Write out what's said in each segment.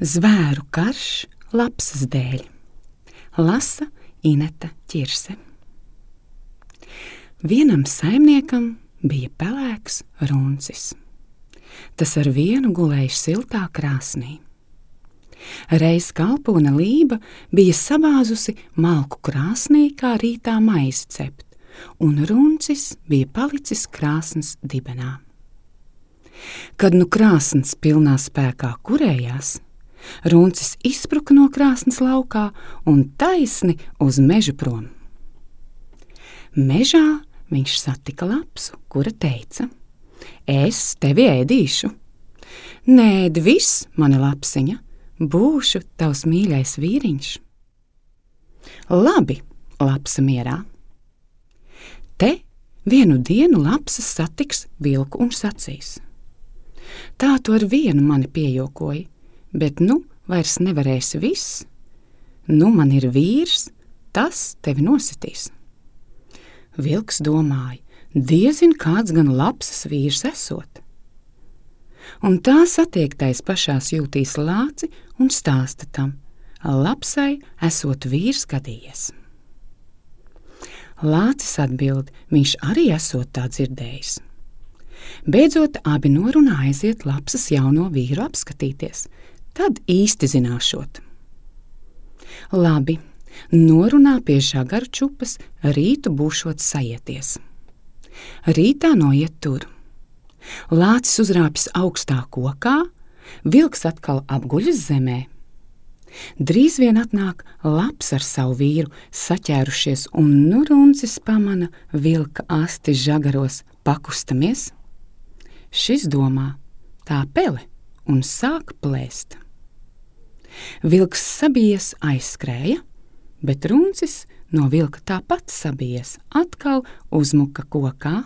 Zvēru karš lapsas dēļ. Lasa Ineta Ķirse. Vienam saimniekam bija pelēks runcis. Tas ar vienu gulēja siltā krāsnī. Reiz kalpone Lība bija sabāzusi malku krāsnī, kā rītā maizi cept, un runcis bija palicis krāsnes dibenā. Kad nu krāsns pilnā spēkā kurējās, runcis izspruka no krāsnes laukā un taisni uz mežu prom. Mežā viņš satika lapsu, kura teica: "Es tevi ēdīšu." "Nēd viss, mana lapsiņa, būšu tavs mīļais vīriņš." "Labi," lapsa mierā. Te vienu dienu lapsas satiks vilku un sacīs: "Tā tu ar vienu mani piejokoji, bet nu vairs nevarēsi viss. Nu man ir vīrs, tas tevi nositīs." Vilks domāja, diezin kāds gan lapsas vīrs esot. Un tā satiektais pašās jūtīs lāci un stāsta tam: lapsai esot vīrs gadījies. Lācis atbild, viņš arī esot tā dzirdējis. Beidzot abi norunā aiziet lapsas jauno vīru apskatīties, tad īsti zināšot. Labi, norunā pie žagaru čupas, rītu būšot sajieties. Rītā noiet tur. Lācis uzrāpjas augstā kokā, vilks atkal apguļas zemē. Drīz vien atnāk laps ar savu vīru saķērušies, un nu runcis pamana vilka asti žagaros pakustamies. Šis domā, tā pele, un sāk plēst. Vilks sabijies aizskrēja, bet runcis no vilka tāpat sabijies, atkal uzmuka kokā.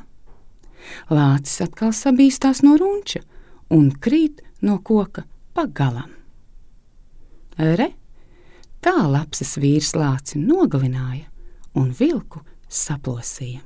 Lācis atkal sabīstās no runča un krīt no koka pa galam. Re, tā lapsas vīrs lāci nogalināja un vilku saplosīja.